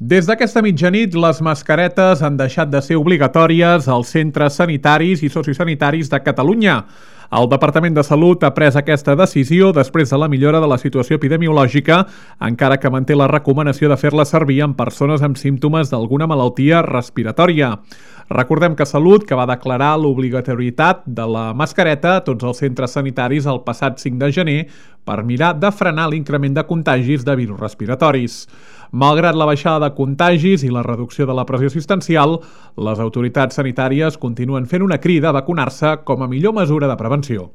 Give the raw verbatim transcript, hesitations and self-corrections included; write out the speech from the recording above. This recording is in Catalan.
Des d'aquesta mitjanit, les mascaretes han deixat de ser obligatòries als centres sanitaris i sociosanitaris de Catalunya. El Departament de Salut ha pres aquesta decisió després de la millora de la situació epidemiològica, encara que manté la recomanació de fer-la servir en persones amb símptomes d'alguna malaltia respiratòria. Recordem que Salut, que va declarar l'obligatorietat de la mascareta a tots els centres sanitaris el passat cinc de gener per mirar de frenar l'increment de contagis de virus respiratoris. Malgrat la baixada de contagis i la reducció de la pressió assistencial, les autoritats sanitàries continuen fent una crida a vacunar-se com a millor mesura de prevenció.